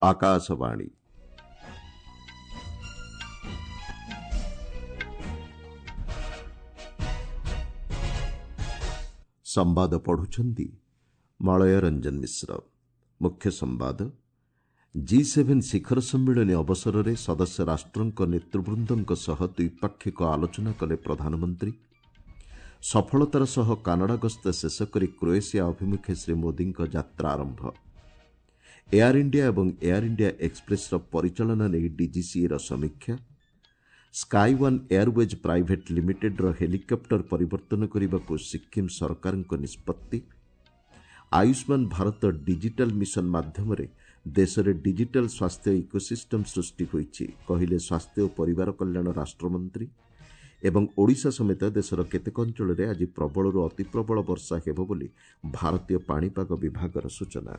ଆକାଶବାଣୀ। ସମ୍ବାଦ ପଢୁଛନ୍ତି ମଳୟ ରଞ୍ଜନ ମିଶ୍ର। ମୁଖ୍ୟ ସମ୍ବାଦ। ଜି ସେଭେନ୍ ଶିଖର ସମ୍ମିଳନୀ ଅବସରରେ ସଦସ୍ୟ ରାଷ୍ଟ୍ରଙ୍କ ନେତୃବୃନ୍ଦଙ୍କ ସହ ଦ୍ୱିପାକ୍ଷିକ ଆଲୋଚନା କଲେ ପ୍ରଧାନମନ୍ତ୍ରୀ। ସଫଳତାର ସହ କାନାଡା ଗସ୍ତ ଶେଷ କରି କ୍ରୋଏସିଆ ଅଭିମୁଖେ ଶ୍ରୀ ମୋଦିଙ୍କ ଯାତ୍ରା ଆରମ୍ଭ। ଏୟାର ଇଣ୍ଡିଆ ଏବଂ ଏୟାର ଇଣ୍ଡିଆ ଏକ୍ସପ୍ରେସ୍ର ପରିଚାଳନା ନେଇ ଡିଜିସିଏର ସମୀକ୍ଷା। ସ୍କାଇ ୱାନ୍ ଏୟାରୱେଜ୍ ପ୍ରାଇଭେଟ୍ ଲିମିଟେଡ୍ର ହେଲିକପ୍ଟର ପରିବର୍ତ୍ତନ କରିବାକୁ ସିକ୍କିମ୍ ସରକାରଙ୍କ ନିଷ୍ପତ୍ତି। ଆୟୁଷ୍ମାନ ଭାରତ ଡିଜିଟାଲ୍ ମିଶନ ମାଧ୍ୟମରେ ଦେଶରେ ଡିଜିଟାଲ୍ ସ୍ୱାସ୍ଥ୍ୟ ଇକୋସିଷ୍ଟମ୍ ସୃଷ୍ଟି ହୋଇଛି, କହିଲେ ସ୍ୱାସ୍ଥ୍ୟ ଓ ପରିବାର କଲ୍ୟାଣ ରାଷ୍ଟ୍ରମନ୍ତ୍ରୀ। ଏବଂ ଓଡ଼ିଶା ସମେତ ଦେଶର କେତେକ ଅଞ୍ଚଳରେ ଆଜି ପ୍ରବଳରୁ ଅତିପ୍ରବଳ ବର୍ଷା ହେବ ବୋଲି ଭାରତୀୟ ପାଣିପାଗ ବିଭାଗର ସୂଚନା।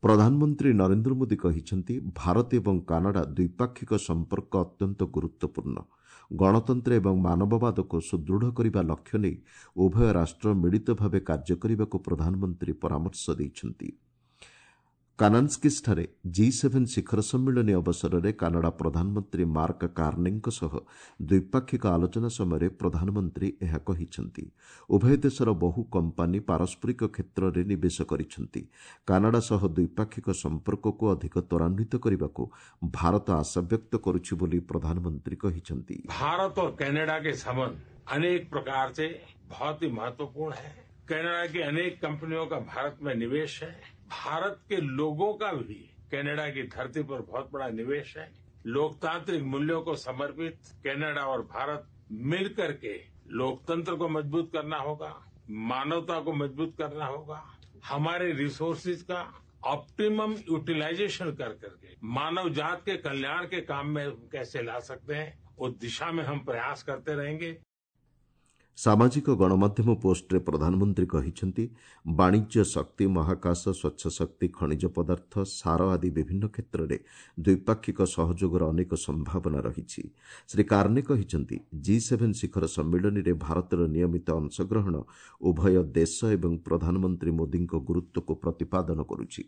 ପ୍ରଧାନମନ୍ତ୍ରୀ ନରେନ୍ଦ୍ର ମୋଦି କହିଛନ୍ତି, ଭାରତ ଏବଂ କାନାଡା ଦ୍ୱିପାକ୍ଷିକ ସମ୍ପର୍କ ଅତ୍ୟନ୍ତ ଗୁରୁତ୍ୱପୂର୍ଣ୍ଣ। ଗଣତନ୍ତ୍ର ଏବଂ ମାନବବାଦକୁ ସୁଦୃଢ଼ କରିବା ଲକ୍ଷ୍ୟ ନେଇ ଉଭୟ ରାଷ୍ଟ୍ର ମିଳିତ ଭାବେ କାର୍ଯ୍ୟ କରିବାକୁ ପ୍ରଧାନମନ୍ତ୍ରୀ ପରାମର୍ଶ ଦେଇଛନ୍ତି। କାନାନ୍ସ୍କିସ୍ଠାରେ ଜି ସେଭେନ୍ ଶିଖର ସମ୍ମିଳନୀ ଅବସରରେ କାନାଡା ପ୍ରଧାନମନ୍ତ୍ରୀ ମାର୍କ କାର୍ନେଙ୍କ ସହ ଦ୍ୱିପାକ୍ଷିକ ଆଲୋଚନା ସମୟରେ ପ୍ରଧାନମନ୍ତ୍ରୀ ଏହା କହିଛନ୍ତି। ଉଭୟ ଦେଶର ବହୁ କମ୍ପାନୀ ପାରସ୍ପରିକ କ୍ଷେତ୍ରରେ ନିବେଶ କରିଛନ୍ତି। କାନାଡା ସହ ଦ୍ୱିପାକ୍ଷିକ ସମ୍ପର୍କକୁ ଅଧିକ ତ୍ୱରାନ୍ୱିତ କରିବାକୁ ଭାରତ ଆଶାବ୍ୟକ୍ତ କରୁଛି ବୋଲି ପ୍ରଧାନମନ୍ତ୍ରୀ କହିଛନ୍ତି। भारत और कनाडा के संबंध अनेक प्रकार से बहुत ही महत्वपूर्ण है। कनाडा की अनेक कंपनियों का भारत में निवेश है। भारत के लोगों का भी कनाडा की धरती पर बहुत बड़ा निवेश है। लोकतांत्रिक मूल्यों को समर्पित कनाडा और भारत मिलकर के लोकतंत्र को मजबूत करना होगा, मानवता को मजबूत करना होगा, हमारे रिसोर्सेज का ऑप्टिमम यूटिलाइजेशन कर करके मानव जात के कल्याण के काम में कैसे ला सकते हैं, उस दिशा में हम प्रयास करते रहेंगे। ସାମାଜିକ ଗଣମାଧ୍ୟମ ପୋଷ୍ଟରେ ପ୍ରଧାନମନ୍ତ୍ରୀ କହିଛନ୍ତି, ବାଣିଜ୍ୟ, ଶକ୍ତି, ମହାକାଶ, ସ୍ୱଚ୍ଛ ଶକ୍ତି, ଖଣିଜ ପଦାର୍ଥ, ସାର ଆଦି ବିଭିନ୍ନ କ୍ଷେତ୍ରରେ ଦ୍ୱିପାକ୍ଷିକ ସହଯୋଗର ଅନେକ ସମ୍ଭାବନା ରହିଛି। ଶ୍ରୀ କାର୍ନେ କହିଛନ୍ତି, ଜି ସେଭେନ୍ ଶିଖର ସମ୍ମିଳନୀରେ ଭାରତର ନିୟମିତ ଅଂଶଗ୍ରହଣ ଉଭୟ ଦେଶ ଏବଂ ପ୍ରଧାନମନ୍ତ୍ରୀ ମୋଦିଙ୍କ ଗୁରୁତ୍ୱକୁ ପ୍ରତିପାଦନ କରୁଛି।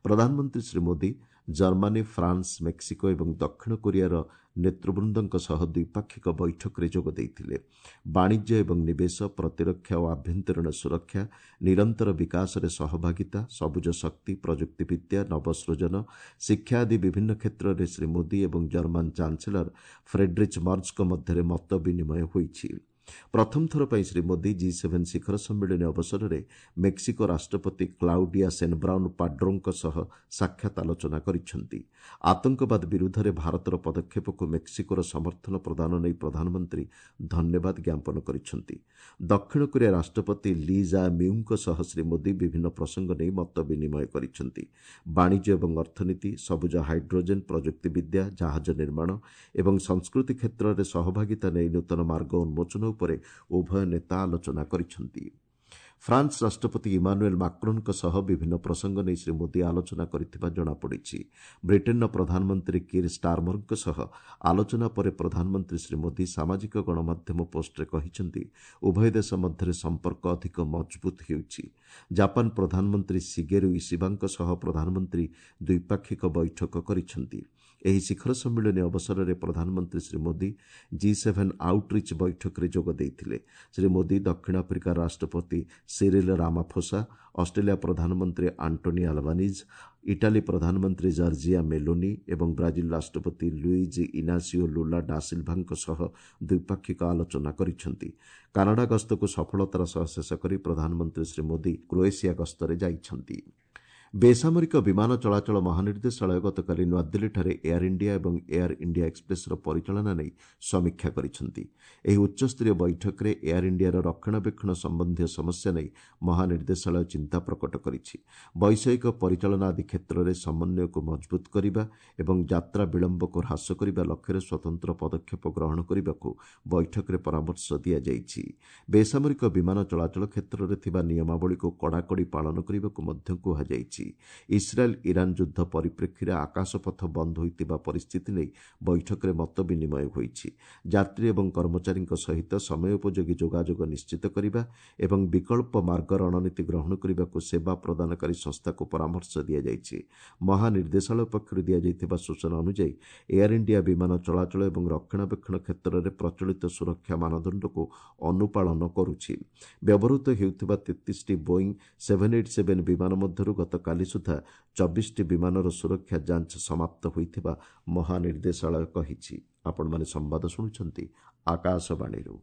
ପ୍ରଧାନମନ୍ତ୍ରୀ Shri Modi Germany, France, Mexico ଏବଂ ଦକ୍ଷିଣ କୋରିଆର ନେତୃବୃନ୍ଦଙ୍କ ସହ ଦ୍ୱିପାକ୍ଷିକ ବୈଠକରେ ଯୋଗ ଦେଇଥିଲେ। ବାଣିଜ୍ୟ ଏବଂ ନିବେଶ, ପ୍ରତିରକ୍ଷା ଓ ଆଭ୍ୟନ୍ତରୀଣ ସୁରକ୍ଷା, ନିରନ୍ତର ବିକାଶରେ ସହଭାଗିତା, ସବୁଜ ଶକ୍ତି, ପ୍ରଯୁକ୍ତିବିଦ୍ୟା, ନବସୃଜନ, ଶିକ୍ଷା ଆଦି ବିଭିନ୍ନ କ୍ଷେତ୍ରରେ ଶ୍ରୀ ମୋଦି ଏବଂ ଜର୍ମାନ ଚାନ୍ସେଲର ଫ୍ରେଡ୍ରିଚ୍ ମର୍ଜଙ୍କ ମଧ୍ୟରେ ମତ ବିନିମୟ ହୋଇଛି। ପ୍ରଥମ ଥର ପାଇଁ ଶ୍ରୀ ମୋଦି ଜି ସେଭେନ୍ ଶିଖର ସମ୍ମିଳନୀ ଅବସରରେ ମେକ୍ସିକୋ ରାଷ୍ଟ୍ରପତି କ୍ଲାଉଡିଆ ସେନବ୍ରାଉନ୍ ପାଡ୍ରୋଙ୍କ ସହ ସାକ୍ଷାତ ଆଲୋଚନା କରିଛନ୍ତି। ଆତଙ୍କବାଦ ବିରୁଦ୍ଧରେ ଭାରତର ପଦକ୍ଷେପକୁ ମେକ୍ସିକୋର ସମର୍ଥନ ପ୍ରଦାନ ନେଇ ପ୍ରଧାନମନ୍ତ୍ରୀ ଧନ୍ୟବାଦ ଜ୍ଞାପନ କରିଛନ୍ତି। ଦକ୍ଷିଣ କୋରିଆ ରାଷ୍ଟ୍ରପତି ଲି ଜା ମ୍ୟୁଙ୍କ ସହ ଶ୍ରୀ ମୋଦି ବିଭିନ୍ନ ପ୍ରସଙ୍ଗ ନେଇ ମତ ବିନିମୟ କରିଛନ୍ତି। ବାଣିଜ୍ୟ ଏବଂ ଅର୍ଥନୀତି, ସବୁଜ ହାଇଡ୍ରୋଜେନ୍, ପ୍ରଯୁକ୍ତିବିଦ୍ୟା, ଜାହାଜ ନିର୍ମାଣ ଏବଂ ସଂସ୍କୃତି କ୍ଷେତ୍ରରେ ସହଭାଗିତା ନେଇ ନୂତନ ମାର୍ଗ ଉନ୍ମୋଚନ ଉପରେ ଉଭୟ ନେତା ଆଲୋଚନା କରିଛନ୍ତି। ଫ୍ରାନ୍ସ ରାଷ୍ଟ୍ରପତି ଇମାନୁଏଲ୍ ମାକ୍ରୋନ୍ଙ୍କ ସହ ବିଭିନ୍ନ ପ୍ରସଙ୍ଗ ନେଇ ଶ୍ରୀ ମୋଦି ଆଲୋଚନା କରିଥିବା ଜଣାପଡ଼ିଛି। ବ୍ରିଟେନ୍ର ପ୍ରଧାନମନ୍ତ୍ରୀ କିର୍ ଷ୍ଟାରମରଙ୍କ ସହ ଆଲୋଚନା ପରେ ପ୍ରଧାନମନ୍ତ୍ରୀ ଶ୍ରୀ ମୋଦି ସାମାଜିକ ଗଣମାଧ୍ୟମ ପୋଷ୍ଟରେ କହିଛନ୍ତି, ଉଭୟ ଦେଶ ମଧ୍ୟରେ ସମ୍ପର୍କ ଅଧିକ ମଜବୁତ ହେଉଛି। ଜାପାନ ପ୍ରଧାନମନ୍ତ୍ରୀ ସିଗେରୁ ଇସିବାଙ୍କ ସହ ପ୍ରଧାନମନ୍ତ୍ରୀ ଦ୍ୱିପାକ୍ଷିକ ବୈଠକ କରିଛନ୍ତି। ଏହି ଶିଖର ସମ୍ମିଳନୀ ଅବସରରେ ପ୍ରଧାନମନ୍ତ୍ରୀ Shri Modi G seven outreach ବୈଠକରେ ଯୋଗ ଦେଇଥିଲେ। ଶ୍ରୀ ମୋଦି ଦକ୍ଷିଣ ଆଫ୍ରିକା ରାଷ୍ଟ୍ରପତି ସିରିଲ୍ ରାମାଫୋସା, ଅଷ୍ଟ୍ରେଲିଆ ପ୍ରଧାନମନ୍ତ୍ରୀ ଆଣ୍ଟୋନି ଆଲବାନିଜ୍, ଇଟାଲୀ ପ୍ରଧାନମନ୍ତ୍ରୀ ଜର୍ଜିଆ ମେଲୋନି ଏବଂ ବ୍ରାଜିଲ୍ ରାଷ୍ଟ୍ରପତି ଲୁଇଜ୍ ଇନାସିଓ ଲୁଲା ଡାସିଲ୍ଭାଙ୍କ ସହ ଦ୍ୱିପାକ୍ଷିକ ଆଲୋଚନା କରିଛନ୍ତି। କାନାଡା ଗସ୍ତକୁ ସଫଳତାର ସହ ଶେଷ କରି ପ୍ରଧାନମନ୍ତ୍ରୀ ଶ୍ରୀ ମୋଦି କ୍ରୋଏସିଆ ଗସ୍ତରେ ଯାଇଛନ୍ତି। ବେସାମରିକ ବିମାନ ଚଳାଚଳ ମହାନିର୍ଦ୍ଦେଶାଳୟ ଗତକାଲି ନୂଆଦିଲ୍ଲୀଠାରେ ଏୟାର ଇଣ୍ଡିଆ ଏବଂ ଏୟାର ଇଣ୍ଡିଆ ଏକ୍ସପ୍ରେସ୍ର ପରିଚାଳନା ନେଇ ସମୀକ୍ଷା କରିଛନ୍ତି। ଏହି ଉଚ୍ଚସ୍ତରୀୟ ବୈଠକରେ ଏୟାର ଇଣ୍ଡିଆର ରକ୍ଷଣାବେକ୍ଷଣ ସମ୍ବନ୍ଧୀୟ ସମସ୍ୟା ନେଇ ମହାନିର୍ଦ୍ଦେଶାଳୟ ଚିନ୍ତା ପ୍ରକଟ କରିଛି। ବୈଷୟିକ ପରିଚାଳନା ଆଦି କ୍ଷେତ୍ରରେ ସମନ୍ୱୟକୁ ମଜବୁତ କରିବା ଏବଂ ଯାତ୍ରା ବିଳମ୍ବକୁ ହ୍ରାସ କରିବା ଲକ୍ଷ୍ୟରେ ସ୍ୱତନ୍ତ୍ର ପଦକ୍ଷେପ ଗ୍ରହଣ କରିବାକୁ ବୈଠକରେ ପରାମର୍ଶ ଦିଆଯାଇଛି। ବେସାମରିକ ବିମାନ ଚଳାଚଳ କ୍ଷେତ୍ରରେ ଥିବା ନିୟମାବଳୀକୁ କଡ଼ାକଡ଼ି ପାଳନ କରିବାକୁ ମଧ୍ୟ କୁହାଯାଇଛି। ଇସ୍ରାଏଲ୍ ଇରାନ୍ ଯୁଦ୍ଧ ପରିପ୍ରେକ୍ଷୀରେ ଆକାଶପଥ ବନ୍ଦ ହୋଇଥିବା ପରିସ୍ଥିତି ନେଇ ବୈଠକରେ ମତ ବିନିମୟ ହୋଇଛି। ଯାତ୍ରୀ ଏବଂ କର୍ମଚାରୀଙ୍କ ସହିତ ସମୟୋପଯୋଗୀ ଯୋଗାଯୋଗ ନିଶ୍ଚିତ କରିବା ଏବଂ ବିକଳ୍ପ ମାର୍ଗ ରଣନୀତି ଗ୍ରହଣ କରିବାକୁ ସେବା ପ୍ରଦାନକାରୀ ସଂସ୍ଥାକୁ ପରାମର୍ଶ ଦିଆଯାଇଛି। ମହାନିର୍ଦ୍ଦେଶାଳୟ ପକ୍ଷରୁ ଦିଆଯାଇଥିବା ସୂଚନା ଅନୁଯାୟୀ ଏୟାର ଇଣ୍ଡିଆ ବିମାନ ଚଳାଚଳ ଏବଂ ରକ୍ଷଣାବେକ୍ଷଣ କ୍ଷେତ୍ରରେ ପ୍ରଚଳିତ ସୁରକ୍ଷା ମାନଦଣ୍ଡକୁ ଅନୁପାଳନ କରୁଛି। ବ୍ୟବହୃତ ହେଉଥିବା 33ଟି ବୋଇଂ 787 ବିମାନ ମଧ୍ୟରୁ ଗତକାଲି ସୁଦ୍ଧା 24ଟି ବିମାନର ସୁରକ୍ଷା ଯାଞ୍ଚ ସମାପ୍ତ ହୋଇଥିବା ମହାନିର୍ଦ୍ଦେଶାଳୟ କହିଛି। ଆପଣମାନେ ସମ୍ବାଦ ଶୁଣୁଛନ୍ତି ଆକାଶବାଣୀରୁ।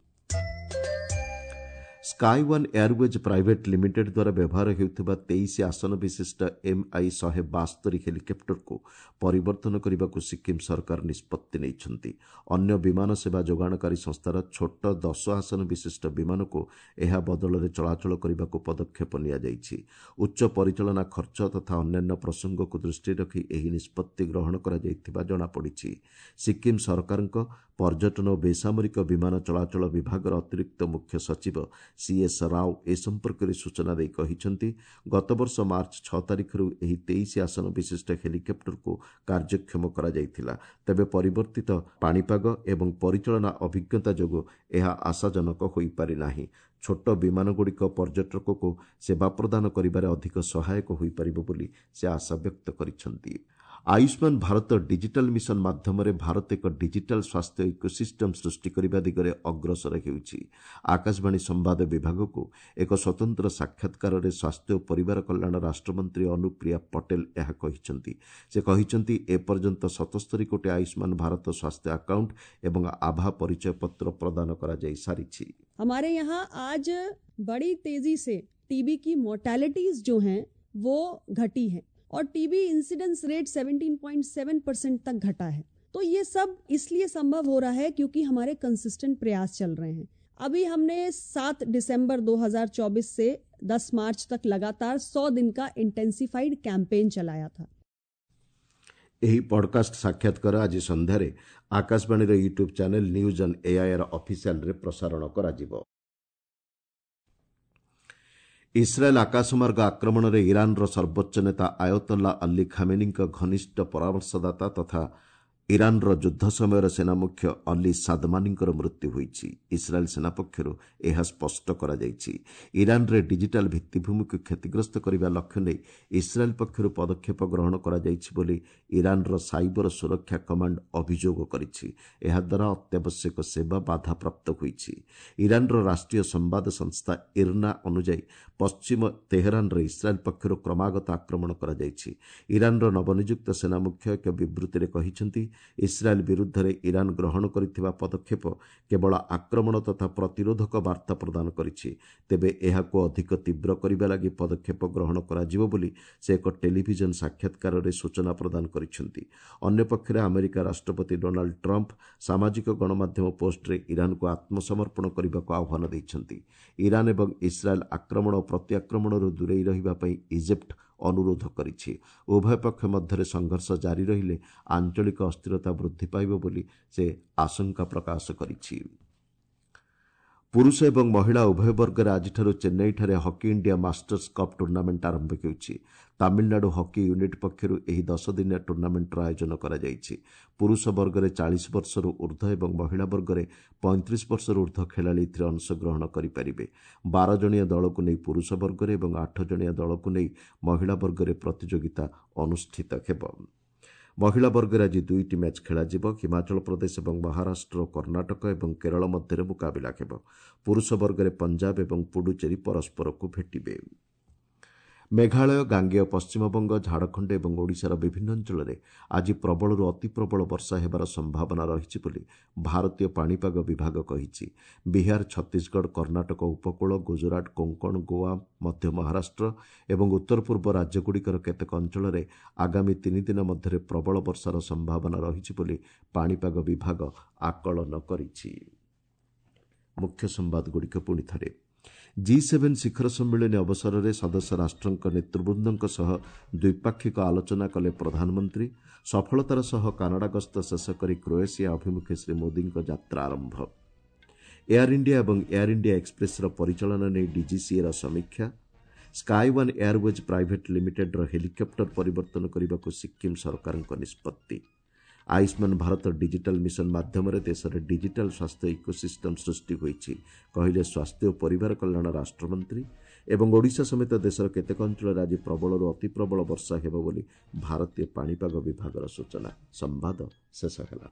Sky one airways private limited ଦ୍ୱାରା ବ୍ୟବହାର ହେଉଥିବା 23 ଆସନ ବିଶିଷ୍ଟ ଏମ୍ଆଇ 172 ହେଲିକପ୍ଟରକୁ ପରିବର୍ତ୍ତନ କରିବାକୁ ସିକ୍କିମ୍ ସରକାର ନିଷ୍ପତ୍ତି ନେଇଛନ୍ତି। ଅନ୍ୟ ବିମାନ ସେବା ଯୋଗାଣକାରୀ ସଂସ୍ଥାର ଛୋଟ 10 ଆସନ ବିଶିଷ୍ଟ ବିମାନକୁ ଏହା ବଦଳରେ ଚଳାଚଳ କରିବାକୁ ପଦକ୍ଷେପ ନିଆଯାଇଛି। ଉଚ୍ଚ ପରିଚାଳନା ଖର୍ଚ୍ଚ ତଥା ଅନ୍ୟାନ୍ୟ ପ୍ରସଙ୍ଗକୁ ଦୃଷ୍ଟିରେ ରଖି ଏହି ନିଷ୍ପତ୍ତି ଗ୍ରହଣ କରାଯାଇଥିବା ଜଣାପଡ଼ିଛି। ସିକ୍କିମ୍ ସରକାରଙ୍କ ପର୍ଯ୍ୟଟନ ଓ ବେସାମରିକ ବିମାନ ଚଳାଚଳ ବିଭାଗର ଅତିରିକ୍ତ ମୁଖ୍ୟ ସଚିବ ସିଏସ୍ ରାଓ ଏ ସମ୍ପର୍କରେ ସୂଚନା ଦେଇ କହିଛନ୍ତି, ଗତବର୍ଷ ମାର୍ଚ୍ଚ 6 ତାରିଖରୁ ଏହି 23 ଆସନ ବିଶିଷ୍ଟ ହେଲିକପ୍ଟରକୁ କାର୍ଯ୍ୟକ୍ଷମ କରାଯାଇଥିଲା। ତେବେ ପରିବର୍ତ୍ତିତ ପାଣିପାଗ ଏବଂ ପରିଚାଳନା ଅଭିଜ୍ଞତା ଯୋଗୁଁ ଏହା ଆଶାଜନକ ହୋଇପାରିନାହିଁ। ଛୋଟ ବିମାନଗୁଡ଼ିକ ପର୍ଯ୍ୟଟକକୁ ସେବା ପ୍ରଦାନ କରିବାରେ ଅଧିକ ସହାୟକ ହୋଇପାରିବ ବୋଲି ସେ ଆଶା ବ୍ୟକ୍ତ କରିଛନ୍ତି। ଆୟୁଷ୍ମାନ ଭାରତ ଡିଜିଟାଲ ମିଶନ ମାଧ୍ୟମରେ ଭାରତ ଏକ ଡିଜିଟାଲ ସ୍ୱାସ୍ଥ୍ୟ ଇକୋସିଷ୍ଟମ ସୃଷ୍ଟି କରିବା ଦିଗରେ ଅଗ୍ରସର ହେଉଛି। ଆକାଶବାଣୀ ସମ୍ବାଦ ବିଭାଗକୁ ଏକ ସ୍ୱତନ୍ତ୍ର ସାକ୍ଷାତକାରରେ ସ୍ୱାସ୍ଥ୍ୟ ଓ ପରିବାର କଲ୍ୟାଣ ରାଷ୍ଟ୍ରମନ୍ତ୍ରୀ ଅନୁପ୍ରିୟା ପଟେଲ ଏହା କହିଛନ୍ତି। ସେ କହିଛନ୍ତି, ଏପର୍ଯ୍ୟନ୍ତ 77 କୋଟି ଆୟୁଷ୍ମାନ ଭାରତ ସ୍ୱାସ୍ଥ୍ୟ ଆକାଉଣ୍ଟ ଏବଂ ଆଭା ପରିଚୟପତ୍ର ପ୍ରଦାନ କରାଯାଇ ସାରିଛି। हमारे यहाँ आज बड़ी तेजी से टीबी की मोर्टेलिटीज जो हैं वो घटी हैं और टीबी इंसिडेंस रेट 17.7% तक घटा है। तो ये सब इसलिए संभव हो रहा है क्योंकि हमारे कंसिस्टेंट प्रयास चल रहे हैं। अभी हमने 7 दिसंबर 2024 से 10 मार्च तक लगातार 100 दिन का इंटेंसिफाइड कैंपेन चलाया था। ଏହି ପଡ୍କାଷ୍ଟ ସାକ୍ଷାତକାର ଆଜି ସନ୍ଧ୍ୟାରେ ଆକାଶବାଣୀର YouTube channel news on AIR ଅଫିସିଆଲରେ ପ୍ରସାରଣ କରାଯିବ। ଇସ୍ରାଏଲ୍ ଆକାଶମାର୍ଗ ଆକ୍ରମଣରେ ଇରାନର ସର୍ବୋଚ୍ଚ ନେତା ଆୟତୋଲ୍ଲା ଅଲ୍ଲୀ ଖାମେନିଙ୍କ ଘନିଷ୍ଠ ପରାମର୍ଶଦାତା ତଥା ଇରାନର ଯୁଦ୍ଧ ସମୟର ସେନାମୁଖ୍ୟ ଅଲ୍ଲୀ ସାଦମାନିଙ୍କର ମୃତ୍ୟୁ ହୋଇଛି। ଇସ୍ରାଏଲ୍ ସେନା ପକ୍ଷରୁ ଏହା ସ୍ପଷ୍ଟ କରାଯାଇଛି। ଇରାନରେ ଡିଜିଟାଲ ଭିତ୍ତିଭୂମିକୁ କ୍ଷତିଗ୍ରସ୍ତ କରିବା ଲକ୍ଷ୍ୟ ନେଇ ଇସ୍ରାଏଲ୍ ପକ୍ଷରୁ ପଦକ୍ଷେପ ଗ୍ରହଣ କରାଯାଇଛି ବୋଲି ଇରାନର ସାଇବର ସୁରକ୍ଷା କମାଣ୍ଡ ଅଭିଯୋଗ କରିଛି। ଏହାଦ୍ୱାରା ଅତ୍ୟାବଶ୍ୟକ ସେବା ବାଧାପ୍ରାପ୍ତ ହୋଇଛି। ଇରାନର ରାଷ୍ଟ୍ରୀୟ ସମ୍ବାଦ ସଂସ୍ଥା ଇର୍ନା ଅନୁଯାୟୀ ପଶ୍ଚିମ ତେହରାନରେ ଇସ୍ରାଏଲ୍ ପକ୍ଷରୁ କ୍ରମାଗତ ଆକ୍ରମଣ କରାଯାଇଛି। ଇରାନର ନବନିଯୁକ୍ତ ସେନାମୁଖ୍ୟ ଏକ ବିବୃତ୍ତିରେ କହିଛନ୍ତି, ଇସ୍ରାଏଲ୍ ବିରୁଦ୍ଧରେ ଇରାନ ଗ୍ରହଣ କରିଥିବା ପଦକ୍ଷେପ କେବଳ ଆକ୍ରମଣ ତଥା ପ୍ରତିରୋଧକ ବାର୍ତ୍ତା ପ୍ରଦାନ କରିଛି। ତେବେ ଏହାକୁ ଅଧିକ ତୀବ୍ର କରିବା ଲାଗି ପଦକ୍ଷେପ ଗ୍ରହଣ କରାଯିବ ବୋଲି ସେ ଏକ ଟେଲିଭିଜନ ସାକ୍ଷାତକାରରେ ସୂଚନା ପ୍ରଦାନ କରିଛନ୍ତି। ଅନ୍ୟପକ୍ଷରେ ଆମେରିକା ରାଷ୍ଟ୍ରପତି ଡୋନାଲ୍ଡ ଟ୍ରମ୍ପ ସାମାଜିକ ଗଣମାଧ୍ୟମ ପୋଷ୍ଟରେ ଇରାନକୁ ଆତ୍ମସମର୍ପଣ କରିବାକୁ ଆହ୍ୱାନ ଦେଇଛନ୍ତି। ଇରାନ ଏବଂ ଇସ୍ରାଏଲ୍ ଆକ୍ରମଣ ଓ ପ୍ରତିଆକ୍ରମଣରୁ ଦୂରେଇ ରହିବା ପାଇଁ ଇଜିପ୍ଟ ଅନୁରୋଧ କରିଛି। ଉଭୟ ପକ୍ଷ ମଧ୍ୟରେ ସଂଘର୍ଷ ଜାରି ରହିଲେ ଆଞ୍ଚଳିକ ଅସ୍ଥିରତା ବୃଦ୍ଧି ପାଇବ ବୋଲି ସେ ଆଶଙ୍କା ପ୍ରକାଶ କରିଛି। ପୁରୁଷ ଏବଂ ମହିଳା ଉଭୟ ବର୍ଗରେ ଆଜିଠାରୁ ଚେନ୍ନାଇଠାରେ hockey India masters cup tournament ଆରମ୍ଭ ହେଉଛି। ତାମିଲନାଡୁ ହକି ୟୁନିଟ୍ ପକ୍ଷରୁ ଏହି 10 ଦିନିଆ ଟୁର୍ଣ୍ଣାମେଣ୍ଟର ଆୟୋଜନ କରାଯାଇଛି। ପୁରୁଷ ବର୍ଗରେ 40 ବର୍ଷରୁ ଉର୍ଦ୍ଧ୍ୱ ଏବଂ ମହିଳା ବର୍ଗରେ 35 ବର୍ଷରୁ ଉର୍ଦ୍ଧ୍ୱ ଖେଳାଳି ଏଥିରେ ଅଂଶଗ୍ରହଣ କରିପାରିବେ। 12 ଜଣିଆ ଦଳକୁ ନେଇ ପୁରୁଷ ବର୍ଗରେ ଏବଂ 8 ଜଣିଆ ଦଳକୁ ନେଇ ମହିଳା ବର୍ଗରେ ପ୍ରତିଯୋଗିତା ଅନୁଷ୍ଠିତ ହେବ। ମହିଳା ବର୍ଗରେ ଆଜି 2ଟି ମ୍ୟାଚ୍ ଖେଳାଯିବ। ହିମାଚଳ ପ୍ରଦେଶ ଏବଂ ମହାରାଷ୍ଟ୍ର, କର୍ଣ୍ଣାଟକ ଏବଂ କେରଳ ମଧ୍ୟରେ ମୁକାବିଲା ହେବ। ପୁରୁଷ ବର୍ଗରେ ପଞ୍ଜାବ ଏବଂ ପୁଡୁଚେରୀ ପରସ୍ପରକୁ ଭେଟିବେ। ମେଘାଳୟ, ଗାଙ୍ଗେୟ ପଶ୍ଚିମବଙ୍ଗ, ଝାଡ଼ଖଣ୍ଡ ଏବଂ ଓଡ଼ିଶାର ବିଭିନ୍ନ ଅଞ୍ଚଳରେ ଆଜି ପ୍ରବଳରୁ ଅତି ପ୍ରବଳ ବର୍ଷା ହେବାର ସମ୍ଭାବନା ରହିଛି ବୋଲି ଭାରତୀୟ ପାଣିପାଗ ବିଭାଗ କହିଛି। ବିହାର, ଛତିଶଗଡ଼, କର୍ଣ୍ଣାଟକ ଉପକୂଳ, ଗୁଜରାଟ, କୋଙ୍କଣ, ଗୋଆ, ମଧ୍ୟ ମହାରାଷ୍ଟ୍ର ଏବଂ ଉତ୍ତର ପୂର୍ବ ରାଜ୍ୟଗୁଡ଼ିକର କେତେକ ଅଞ୍ଚଳରେ ଆଗାମୀ 3 ଦିନ ମଧ୍ୟରେ ପ୍ରବଳ ବର୍ଷାର ସମ୍ଭାବନା ରହିଛି ବୋଲି ପାଣିପାଗ ବିଭାଗ ଆକଳନ କରିଛି। ମୁଖ୍ୟ ସମ୍ବାଦଗୁଡ଼ିକ ପୁଣି ଥରେ। G7 ଶିଖର ସମ୍ମିଳନୀ ଅବସରରେ ସଦସ୍ୟ ରାଷ୍ଟ୍ରଙ୍କ ନେତୃବୃନ୍ଦଙ୍କ ସହ ଦ୍ୱିପାକ୍ଷିକ ଆଲୋଚନା କଲେ ପ୍ରଧାନମନ୍ତ୍ରୀ। ସଫଳତାର ସହ କାନାଡା ଗସ୍ତ ଶେଷ କରି କ୍ରୋଏସିଆ ଅଭିମୁଖେ ଶ୍ରୀ ମୋଦିଙ୍କ ଯାତ୍ରା ଆରମ୍ଭ। ଏୟାର ଇଣ୍ଡିଆ ଏବଂ ଏୟାର ଇଣ୍ଡିଆ ଏକ୍ସପ୍ରେସର ପରିଚାଳନା ନେଇ ଡିଜିସିଏର ସମୀକ୍ଷା। ସ୍କାଏ ୱାନ୍ ଏୟାରୱେଜ୍ ପ୍ରାଇଭେଟ୍ ଲିମିଟେଡ୍ର ହେଲିକପ୍ଟର ପରିବର୍ତ୍ତନ କରିବାକୁ ସିକ୍କିମ୍ ସରକାରଙ୍କ ନିଷ୍ପତ୍ତି। ଆୟୁଷ୍ମାନ ଭାରତ ଡିଜିଟାଲ ମିଶନ ମାଧ୍ୟମରେ ଦେଶରେ ଡିଜିଟାଲ ସ୍ୱାସ୍ଥ୍ୟ ଇକୋସିଷ୍ଟମ୍ ସୃଷ୍ଟି ହୋଇଛି, କହିଲେ ସ୍ୱାସ୍ଥ୍ୟ ଓ ପରିବାର କଲ୍ୟାଣ ରାଷ୍ଟ୍ରମନ୍ତ୍ରୀ। ଏବଂ ଓଡ଼ିଶା ସମେତ ଦେଶର କେତେକ ଅଞ୍ଚଳରେ ଆଜି ପ୍ରବଳରୁ ଅତିପ୍ରବଳ ବର୍ଷା ହେବ ବୋଲି ଭାରତୀୟ ପାଣିପାଗ ବିଭାଗର ସୂଚନା। ସମ୍ବାଦ ଶେଷ ହେଲା।